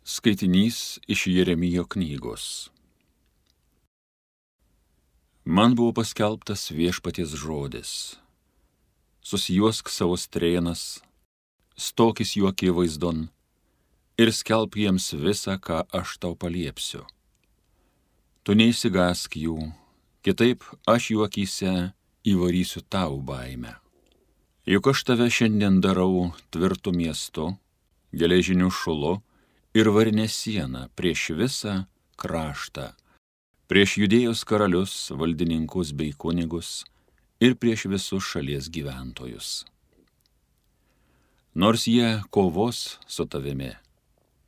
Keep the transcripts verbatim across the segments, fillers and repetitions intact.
Skaitinys iš Jeremijo knygos. Man buvo paskelbtas viešpaties žodis. Susijuosk savo strėnas, stokis jų akivaizdon ir skelbk jiems visą, ką aš tau paliepsiu. Tu neišsigąsk jų, kitaip aš jų akyse įvarysiu tau baimę. Juk aš tave šiandien darau tvirtu miestu, geležiniu šulu ir varinę sieną prieš visą kraštą, prieš Judėjos karalius, valdininkus bei kunigus ir prieš visus šalies gyventojus. Nors jie kovos su tavimi,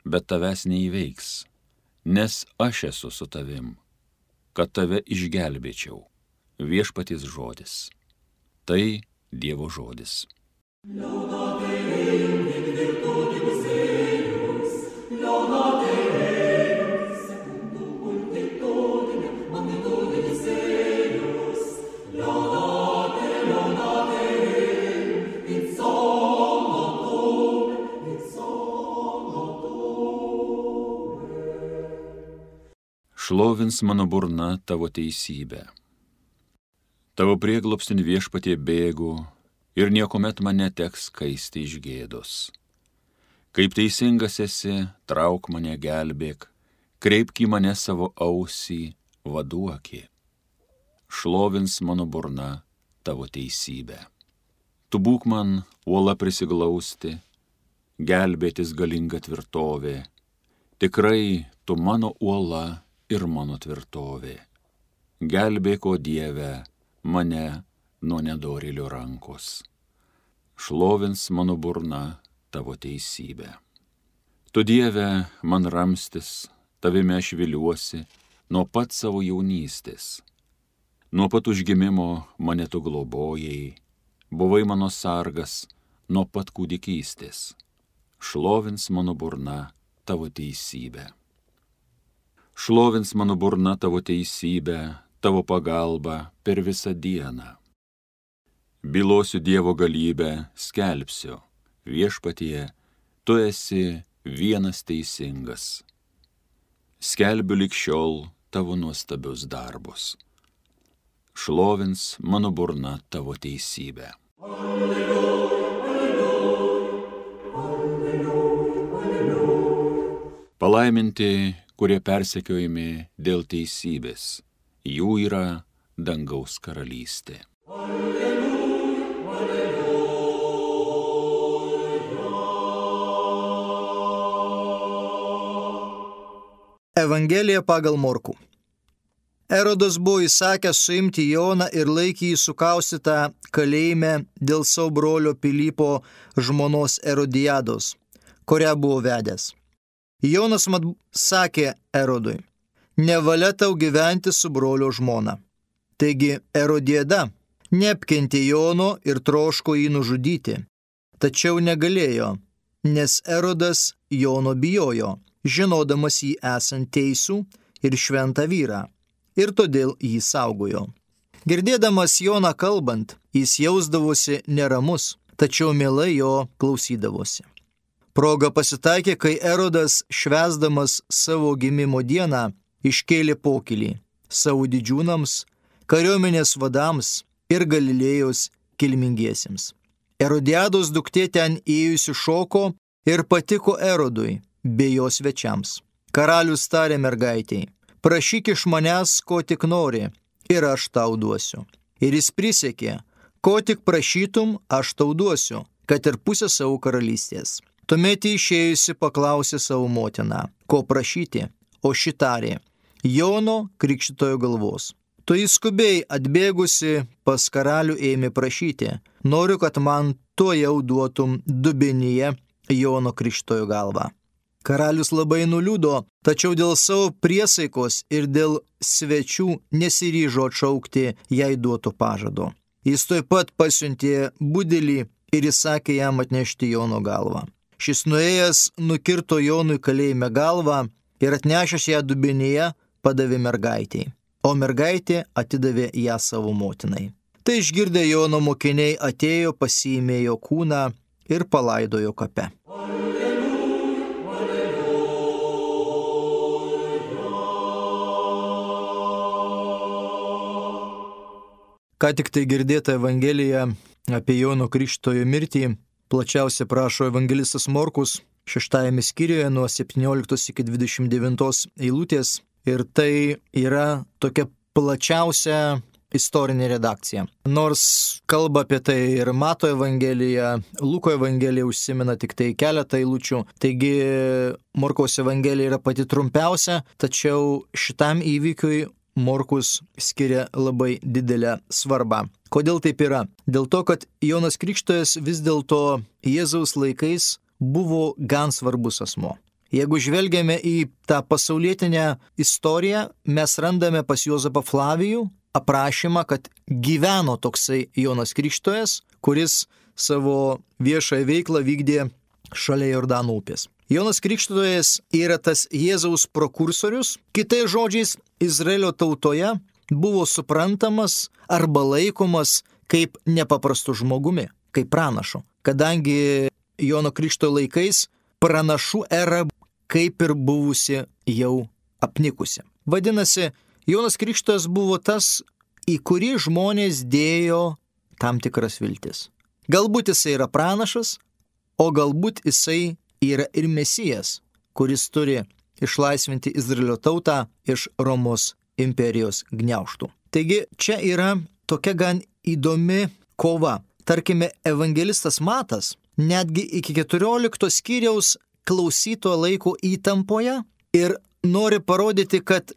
bet tavęs neįveiks, nes aš esu su tavim, kad tave išgelbėčiau. Viešpaties žodis. Tai Dievo žodis. Šlovins mano burna tavo teisybę. Tavo prieglobstin viešpatie bėgu ir niekuomet man neteks kaisti iš gėdos. Kaip teisingas esi, trauk mane, gelbėk, kreipk į mane savo ausį, vaduokį. Šlovins mano burna tavo teisybę. Tu būk man uola prisiglausti, gelbėtis galinga tvirtovė. Tikrai tu mano uola ir mano tvirtovė. Gelbėk, o Dieve, mane nuo nedorėlio rankos. Šlovins mano burna tavo teisybę. Tu, Dieve, man ramstis, tavime aš viliuosi nuo pat savo jaunystės. Nuo pat užgimimo mane tu globojai, buvai mano sargas nuo pat kūdikystės. Šlovins mano burna tavo teisybę. Šlovins mano burna tavo teisybę, tavo pagalbą per visą dieną. Bylosiu Dievo galybę, skelbsiu, viešpatie, tu esi vienas teisingas. Skelbiu lig šiol tavo nuostabius darbus. Šlovins mano burna tavo teisybę. Alleluja, alleluja, alleluja, alleluja. Palaiminti, kurie persekiojami dėl teisybės, jų yra dangaus karalystė. Alleluja, alleluja. Evangelija pagal Morkų. Erodas buvo įsakęs suimti Joną ir laikė jį sukaustytą kalėjime dėl savo brolio Pilypo žmonos Erodijados, kurią buvo vedęs. Jonas mat sakė Erodui: nevalia tau gyventi su brolio žmona. Taigi Erodijada neapkentė Jono ir troško jį nužudyti, tačiau negalėjo, nes Erodas Jono bijojo, žinodamas jį esant teisų ir šventą vyrą, ir todėl jį saugojo. Girdėdamas Joną kalbant, jis jausdavosi neramus, tačiau mielai jo klausydavosi. Proga pasitaikė, kai Erodas, švęsdamas savo gimimo dieną, iškėlė pokylį savo didžiūnams, kariuomenės vadams ir Galilėjos kilmingiesiems. Erodijados duktė ten ėjusi šoko ir patiko Erodui bei jo svečiams. Karalius tarė mergaitei: prašyk iš manęs, ko tik nori, ir aš tau duosiu. Ir jis prisiekė: ko tik prašytum, aš tau duosiu, kad ir pusę savo karalystės. Tuomet išėjusi paklausė savo motiną, ko prašyti, o ši tarė: Jono Krikštytojo galvos. Tu įskubiai atbėgusi pas karalių ėmė prašyti: noriu, kad man tuojau duotum dubenyje Jono Krikštytojo galvą. Karalius labai nuliūdo, tačiau dėl savo priesaikos ir dėl svečių nesiryžo atšaukti jai duoto pažado. Jis tuoj pat pasiuntė budelį ir įsakė jam atnešti Jono galvą. Šis nuėjęs nukirto Jonui kalėjime galvą ir atnešęs ją dubenyje padavė mergaitei, o mergaitė atidavė ją savo motinai. Tai išgirdę Jono mokiniai atėjo, pasiėmė jo kūną ir palaidojo kape. Alleluja, alleluja. Ką tik tai girdėta Evangelija apie Jono Krikštytojo mirtį plačiausiai prašo evangelistas Morkus šeštajame skyriuje nuo septynioliktos iki dvidešimt devintos eilutės. Ir tai yra tokia plačiausia istorinė redakcija. Nors kalba apie tai ir Mato Evangelija, Luko Evangelija užsimena tik tai keletą eilučių. Taigi Morkaus Evangelija yra pati trumpiausia, tačiau šitam įvykiui Morkus skiria labai didelę svarbą. Kodėl taip yra? Dėl to, kad Jonas Krikštytojas vis dėlto Jėzaus laikais buvo gan svarbus asmo. Jeigu žvelgiame į tą pasaulietinę istoriją, mes randame pas Juozapą Flavijų aprašymą, kad gyveno toksai Jonas Krikštytojas, kuris savo viešąją veiklą vykdė šalia Jordano upės. Jonas Krikštytojas yra tas Jėzaus prokursorius, kitais žodžiais, Izraelio tautoje buvo suprantamas arba laikomas kaip nepaprastu žmogumi, kaip pranašu. Kadangi Jono Krikštytojo laikais pranašų era kaip ir buvusi jau apnikusi. Vadinasi, Jonas Krikštytojas buvo tas, į kurį žmonės dėjo tam tikras viltis. Galbūt jisai yra pranašas, o galbūt jisai yra ir Mesijas, kuris turi išlaisvinti Izraelio tautą iš Romos imperijos gniaužtų. Taigi čia yra tokia gan įdomi kova. Tarkime, evangelistas Matas netgi iki keturiolikto skyriaus klausyto laiko įtampoje ir nori parodyti, kad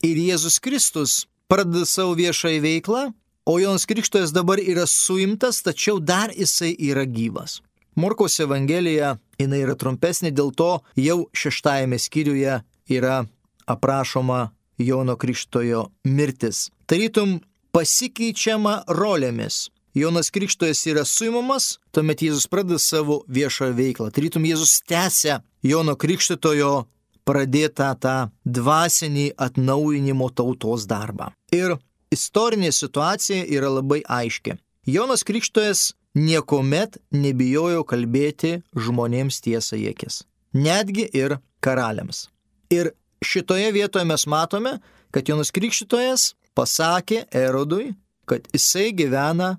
ir Jėzus Kristus pradeda savo viešąją veiklą, o Jonas Krikštytojas dabar yra suimtas, tačiau dar jisai yra gyvas. Morkaus Evangelija, jinai yra trumpesnė, dėl to jau šeštajame skyriuje yra aprašoma Jono Krikštytojo mirtis. Tarytum pasikeičiama rolėmis. Jonas Krikštytojas yra suimamas, tuomet Jėzus pradeda savo viešą veiklą. Tarytum Jėzus tęsia Jono Krikštytojo pradėtą tą dvasinį atnaujinimo tautos darbą. Ir istorinė situacija yra labai aiški. Jonas Krikštytojas niekuomet nebijojo kalbėti žmonėms tiesą į akis. Netgi ir karaliams. Ir šitoje vietoje mes matome, kad Jonas Krikštytojas pasakė Erodui, kad jisai gyvena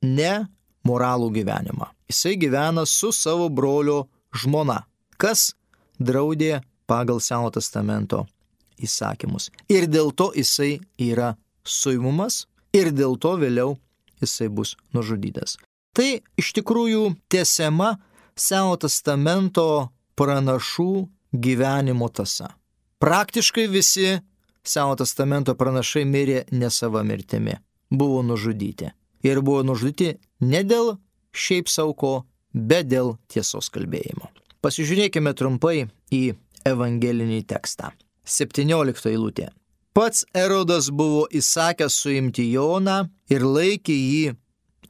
ne moralų gyvenimą. Jisai gyvena su savo brolio žmona, kas draudė pagal Seno testamento įsakymus. Ir dėl to jisai yra suimamas ir dėl to vėliau jisai bus nužudytas. Tai iš tikrųjų tęsiama Seno testamento pranašų gyvenimo tąsa. Praktiškai visi Seno testamento pranašai mirė ne sava mirtimi, buvo nužudyti. Ir buvo nužudyti ne dėl šiaip sauko, bet dėl tiesos kalbėjimo. Pasižiūrėkime trumpai į evangelinį tekstą. septyniolikta eilutė. Pats Erodas buvo įsakęs suimti Joną ir laikė jį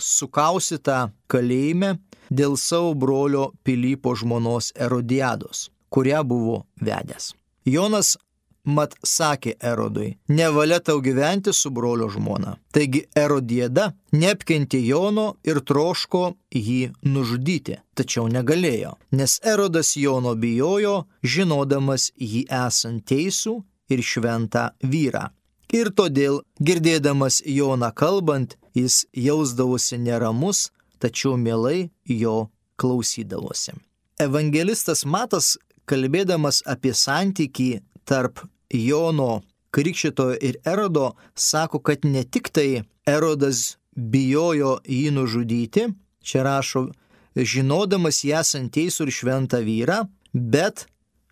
sukaustytą kalėjime dėl savo brolio Pilypo žmonos Erodiados, kurią buvo vedęs. Jonas mat sakė Erodui, nevalia tau gyventi su brolio žmona. Taigi Erodiada neapkentė Jono ir troško jį nužudyti, tačiau negalėjo, nes Erodas Jono bijojo, žinodamas jį esant teisų ir šventą vyrą. Ir todėl, girdėdamas Joną kalbant, jis jausdavosi neramus, tačiau mielai jo klausydavosi. Evangelistas Matas, kalbėdamas apie santykį tarp Jono Krikštytojo ir Erodo, sako, kad ne tik tai Erodas bijojo jį nužudyti, čia rašo, žinodamas jį esant teisų ir šventą vyrą, bet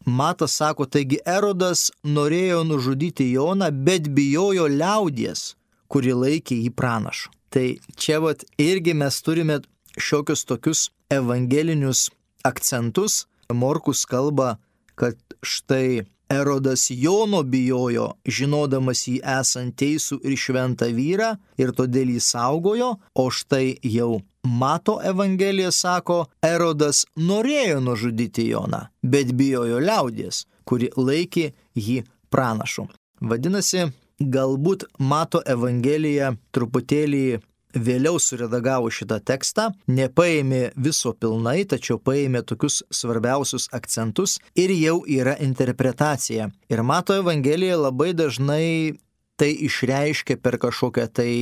Matas sako, taigi Erodas norėjo nužudyti Joną, bet bijojo liaudies, kuri laikė jį pranašu. Tai čia vat irgi mes turime šiokius tokius evangelinius akcentus. Morkus kalba, kad štai Erodas Jono bijojo, žinodamas jį esant teisų ir šventą vyrą, ir todėl jį saugojo, o štai jau Mato Evangelija sako, Erodas norėjo nužudyti Joną, bet bijojo liaudies, kuri laikė jį pranašu. Vadinasi, galbūt Mato Evangelija truputėlį vėliau suredagavo šitą tekstą, nepaėmė viso pilnai, tačiau paėmė tokius svarbiausius akcentus ir jau yra interpretacija. Ir Mato Evangelija labai dažnai tai išreiškia per kažkokią tai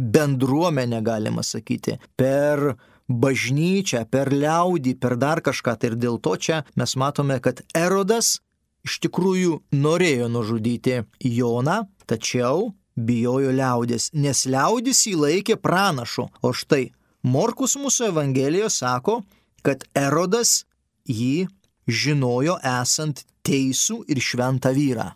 bendruomenę, galima sakyti, per bažnyčią, per liaudį, per dar kažką. Tai ir dėl to čia mes matome, kad Erodas iš tikrųjų norėjo nužudyti Joną, tačiau bijojo liaudės, nes liaudis jį laikė pranašu. O štai Morkus mūsų Evangelijoje sako, kad Erodas jį žinojo esant teisų ir šventą vyrą.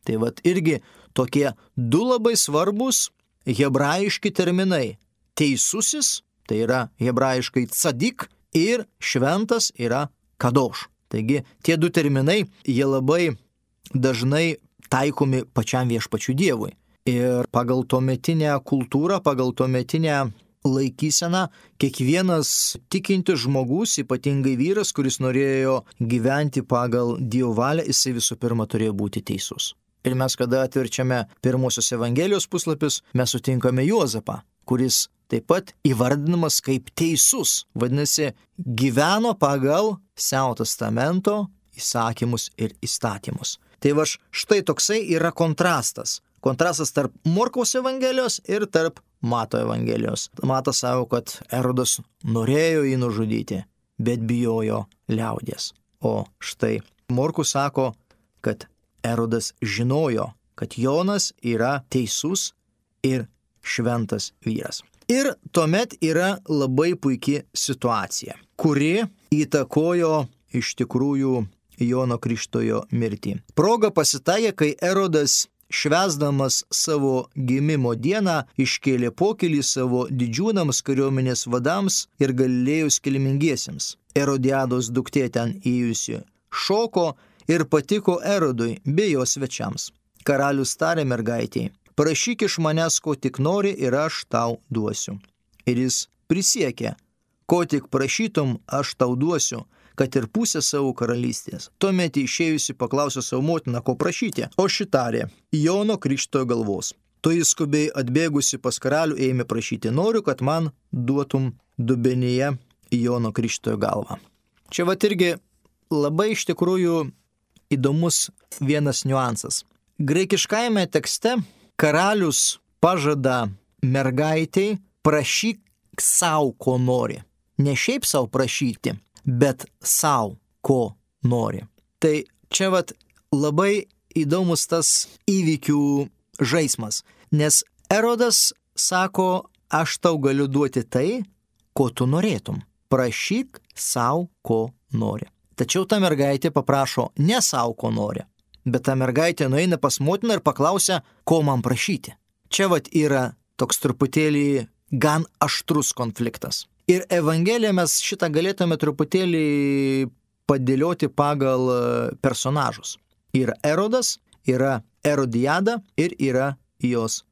Tai vat irgi tokie du labai svarbus hebrajiški terminai. Teisusis, tai yra hebrajiškai tzadik, ir šventas yra kadoš. Taigi tie du terminai, jie labai dažnai taikomi pačiam viešpačiu Dievui. Ir pagal tuometinę kultūrą, pagal tuometinę laikyseną, kiekvienas tikintis žmogus, ypatingai vyras, kuris norėjo gyventi pagal Dievo valią, jisai visų pirma turėjo būti teisus. Ir mes, kada atverčiame pirmosios Evangelijos puslapius, mes sutinkame Juozapą, kuris taip pat įvardinamas kaip teisus. Vadinasi, gyveno pagal Senojo testamento įsakymus ir įstatymus. Tai va štai toksai yra kontrastas. Kontrastas tarp Morkaus Evangelijos ir tarp Mato Evangelijos. Matas sako, kad Erodas norėjo jį nužudyti, bet bijojo liaudės. O štai Morkus sako, kad Erodas žinojo, kad Jonas yra teisus ir šventas vyras. Ir tuomet yra labai puikia situacija, kuri įtakojo iš tikrųjų Jono Krikštytojo mirtį. Proga pasitaikė, kai Erodas švęsdamas savo gimimo dieną iškėlė pokylį savo didžiūnams, kariuomenės vadams ir Galilėjos kilmingiesiems. Erodiados duktė ten įėjusi šoko ir patiko Erodui bei jo svečiams. Karalius tarė mergaitei: prašyk iš manęs, ko tik nori, ir aš tau duosiu. Ir jis prisiekė: ko tik prašytum, aš tau duosiu, kad ir pusę savo karalystės. Tuomet išėjusi paklausė savo motiną, ko prašyti, o ši tarė: Jono Krikštytojo galvos. To jis skubiai atbėgusi pas karalių ėmė prašyti: noriu, kad man duotum dubenyje Jono Krikštytojo galvą. Čia vat irgi labai iš tikrųjų įdomus vienas niuansas. Graikiškajame tekste karalius pažada mergaitei: prašyk savo, ko nori. Ne šiaip savo prašyti, bet savo, ko nori. Tai čia vat labai įdomus tas įvykių žaismas, nes Erodas sako: aš tau galiu duoti tai, ko tu norėtum. Prašyk savo, ko nori. Tačiau ta mergaitė paprašo ne savo, ko nori, bet ta mergaitė nueina pas motiną ir paklausia, ko man prašyti. Čia vat yra toks truputėlį gan aštrus konfliktas. Ir Evangeliją mes šitą galėtume truputėlį padėlioti pagal personažus. Yra Erodas, yra Erodiada ir yra jos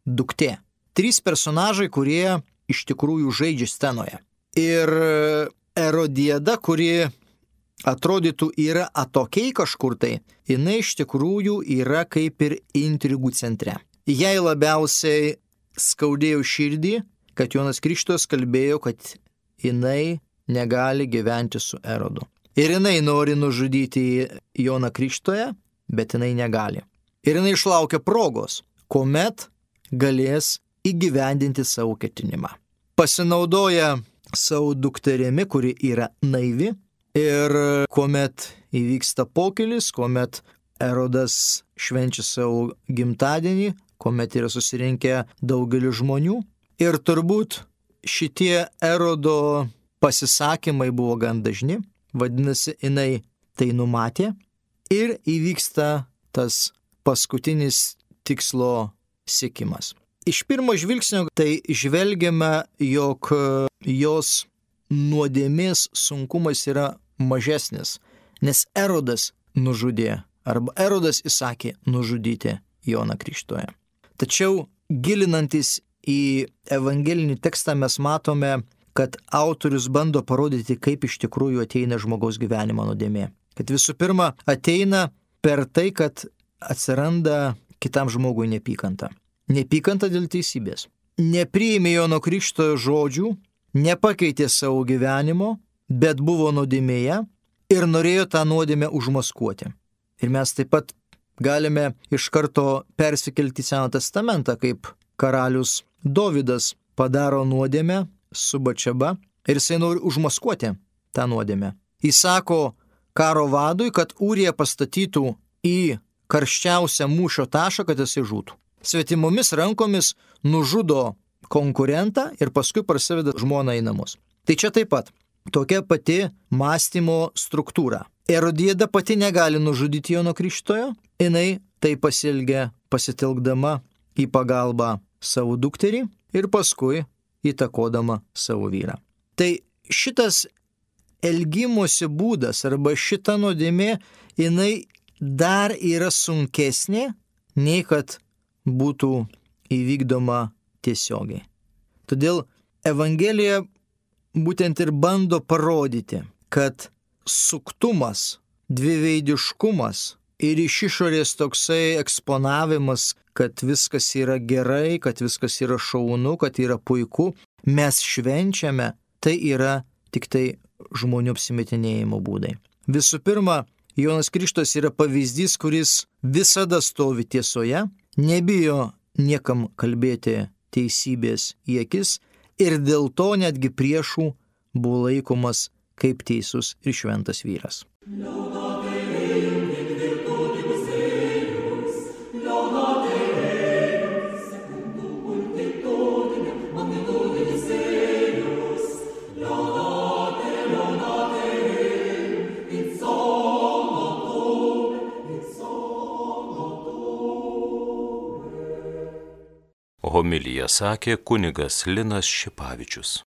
duktė. Trys personažai, kurie iš tikrųjų žaidžia scenoje. Ir Erodiada, kuri atrodytų yra atokiai kažkur tai, jinai iš tikrųjų yra kaip ir intrigų centre. Jai labiausiai skaudėjo širdį, kad Jonas Krikštytojas kalbėjo, kad jinai negali gyventi su Erodu. Ir jinai nori nužudyti Joną Krikštytoją, bet jinai negali. Ir jinai išlaukia progos, kuomet galės įgyvendinti savo ketinimą. Pasinaudoja savo dukterimi, kuri yra naivi, ir kuomet įvyksta pokylis, kuomet Erodas švenčia savo gimtadienį, kuomet yra susirinkę daugelis žmonių. Ir turbūt šitie Erodo pasisakymai buvo gan dažni, vadinasi, jinai tai numatė ir įvyksta tas paskutinis tikslo siekimas. Iš pirmo žvilgsnio tai žvelgiame, jog jos nuodėmės sunkumas yra mažesnis, nes Erodas nužudė, arba Erodas įsakė nužudyti Joną Krikštytoją. Tačiau gilinantis į evangelinį tekstą mes matome, kad autorius bando parodyti, kaip iš tikrųjų ateina žmogaus gyvenimo nuodėmė. Kad visų pirma ateina per tai, kad atsiranda kitam žmogui neapykanta. Neapykanta dėl teisybės. Nepriėmė Jono Krikštytojo žodžių, nepakeitė savo gyvenimo, bet buvo nuodėmėje ir norėjo tą nuodėmę užmaskuoti. Ir mes taip pat Galime iš karto persikelti į Seną testamentą, kaip karalius Dovydas padaro nuodėmę su Bačeba ir jisai nori užmaskuoti tą nuodėmę. Jis sako karo vadui, kad Ūrija pastatytų į karščiausią mūšio tašką, kad jisai žūtų. Svetimomis rankomis nužudo konkurentą ir paskui parsiveda žmoną į namus. Tai čia taip pat tokia pati mąstymo struktūra. Erodiada pati negali nužudyti Jono Krikštytojo, jinai tai pasielgia pasitelkdama į pagalbą savo dukterį ir paskui įtakodama savo vyrą. Tai šitas elgimosi būdas arba šita nuodėmė, jinai dar yra sunkesnė, nei kad būtų įvykdoma tiesiogiai. Todėl Evangelija būtent ir bando parodyti, kad suktumas, dviveidiškumas ir iš išorės toksai eksponavimas, kad viskas yra gerai, kad viskas yra šaunu, kad yra puiku, mes švenčiame, tai yra tik tai žmonių apsimetinėjimo būdai. Visų pirma, Jonas Krikštytojas yra pavyzdys, kuris visada stovi tiesoje, nebijo niekam kalbėti teisybės į akis ir dėl to netgi priešų buvo laikomas kaip teisus ir šventas vyras. Homiliją sakė kunigas Linas Šipavičius.